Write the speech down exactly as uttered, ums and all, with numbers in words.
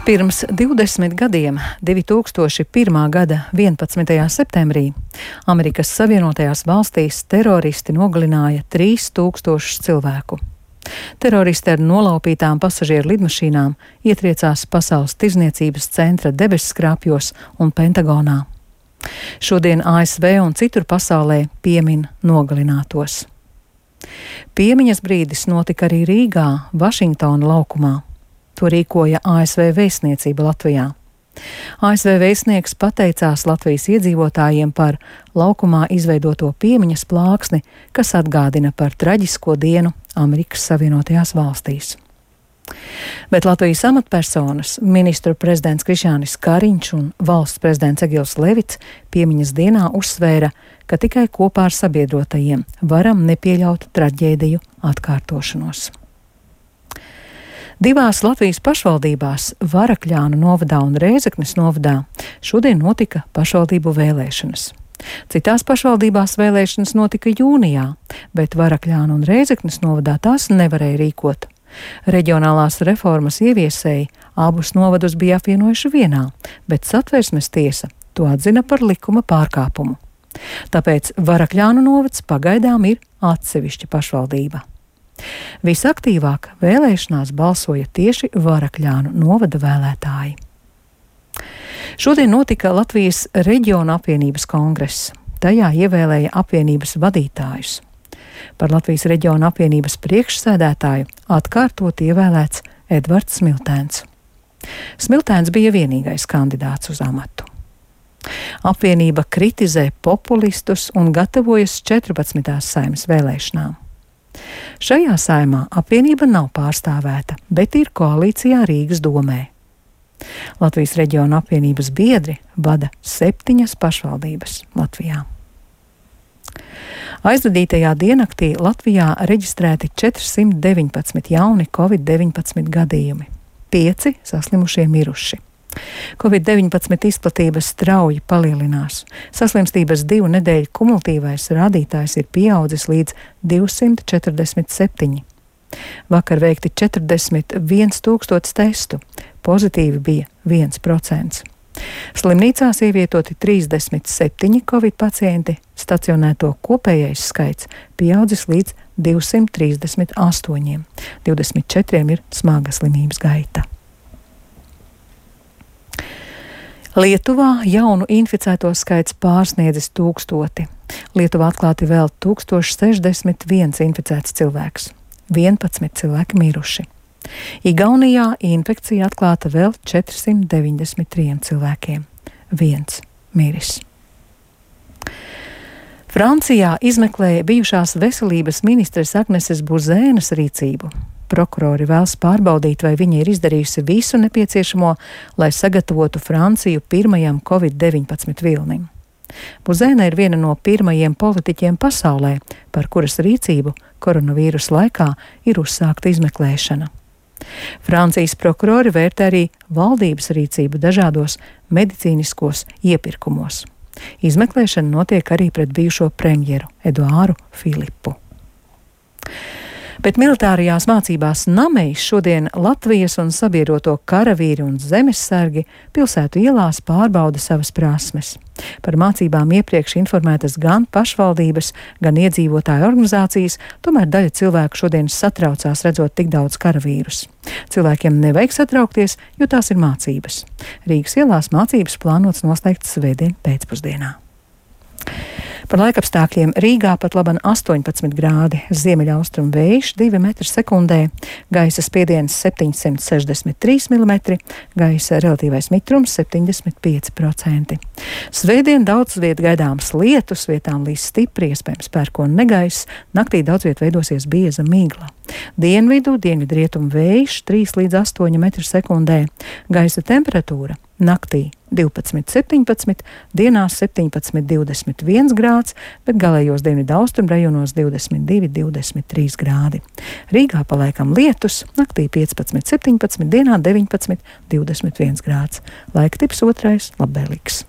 Pirms divdesmit gadiem, divi tūkstoši pirmā gada vienpadsmitajā septembrī, Amerikas Savienotajās valstīs teroristi nogalināja trīs tūkstošus cilvēku. Teroristi ar nolaupītām pasažieru lidmašīnām ietriecās Pasaules tirdzniecības centra debesskrāpjos un Pentagonā. Šodien A S V un citur pasaulē piemin nogalinātos. Piemiņas brīdis notika arī Rīgā, Vašingtona laukumā. To rīkoja A S V vēstniecība Latvijā. A S V vēstnieks pateicās Latvijas iedzīvotājiem par laukumā izveidoto piemiņas plāksni, kas atgādina par traģisko dienu Amerikas Savienotajās valstīs. Bet Latvijas amatpersonas, ministru prezidents Krišjānis Kariņš un valsts prezidents Egils Levits piemiņas dienā uzsvēra, ka tikai kopā ar sabiedrotajiem varam nepieļaut traģēdiju atkārtošanos. Divās Latvijas pašvaldībās, Varakļānu novadā un Rēzeknes novadā, šodien notika pašvaldību vēlēšanas. Citās pašvaldībās vēlēšanas notika jūnijā, bet Varakļānu un Rēzeknes novadā tās nevarēja rīkot. Reģionālās reformas ieviesēji abus novadus bija apvienojuši vienā, bet Satversmes tiesa to atzina par likuma pārkāpumu. Tāpēc Varakļānu novads pagaidām ir atsevišķa pašvaldība. Visaktīvāk vēlēšanās balsoja tieši Varakļānu novada vēlētāji. Šodien notika Latvijas reģiona apvienības kongress. Tajā ievēlēja apvienības vadītājus. Par Latvijas reģiona apvienības priekšsēdētāju atkārtot ievēlēts Edvards Smiltēns. Smiltēns bija vienīgais kandidāts uz amatu. Apvienība kritizē populistus un gatavojas četrpadsmitās Saeimas vēlēšanām. Šajā saimā apvienība nav pārstāvēta, bet ir koalīcijā Rīgas domē. Latvijas reģiona apvienības biedri vada septiņas pašvaldības Latvijā. Aizvadītajā diennaktī Latvijā reģistrēti četrsimt deviņpadsmit jauni covid deviņpadsmit gadījumi, pieci saslimušie miruši. covid deviņpadsmit izplatības strauji palielinās. Saslimstības divu nedēļu kumulatīvais rādītājs ir pieaudzis līdz divsimt četrdesmit septiņi. Vakar veikti četrdesmit viens tūkstotis testu, pozitīvi bija viens procents. Slimnīcās ievietoti trīsdesmit septiņi covid pacienti, stacionēto kopējais skaits pieaudzis līdz divsimt trīsdesmit astoņiem, divdesmit četriem ir smaga slimības gaita. Lietuvā jaunu inficēto skaits pārsniedzis tūkstoti. Lietuvā atklāti vēl tūkstoš sešdesmit viens inficēts cilvēks, vienpadsmit cilvēki miruši. Igaunijā infekcija atklāta vēl četrsimt deviņdesmit trīs cilvēkiem, viens miris. Francijā izmeklēja bijušās veselības ministres Agneses Buzēnas rīcību. Prokurori vēlas pārbaudīt, vai viņa ir izdarījusi visu nepieciešamo, lai sagatavotu Franciju pirmajam covid deviņpadsmit vilnim. Buzēna ir viena no pirmajiem politiķiem pasaulē, par kuras rīcību koronavīrusa laikā ir uzsākta izmeklēšana. Francijas prokurori vērtē arī valdības rīcību dažādos medicīniskos iepirkumos. Izmeklēšana notiek arī pret bijušo premjeru Eduāru Filipu. Bet militārajās mācībās Namejs šodien Latvijas un sabiedroto karavīri un zemessargi pilsētu ielās pārbauda savas prasmes. Par mācībām iepriekš informētas gan pašvaldības, gan iedzīvotāju organizācijas, tomēr daļa cilvēku šodien satraucās redzot tik daudz karavīrus. Cilvēkiem nevajag satraukties, jo tās ir mācības. Rīgas ielās mācības plānots noslēgt svētdien pēcpusdienā. Par laikapstākļiem Rīgā pat laban astoņpadsmit grādi, ziemeļaustrumu vējš divi metri sekundē, gaisa spiediens septiņsimt sešdesmit trīs milimetri, gaisa relatīvais mitrums septiņdesmit pieci procenti. Svētdien daudz viet gaidāms lietus, vietām līs stipri, iespējams pērkona negaiss, naktī daudz viet veidosies bieza migla. Dienvidu, dienvidrietumu vējš trīs līdz astoņi metri sekundē, gaisa temperatūra naktī divpadsmit septiņpadsmit, dienās septiņpadsmit divdesmit viens grāds, bet galējos dienvidu austrumu rajonos divdesmit divi divdesmit trīs grādi. Rīgā palaikam lietus, naktī piecpadsmit septiņpadsmit, dienā deviņpadsmit divdesmit viens grāds. Laika tips otrais labvēlīgs.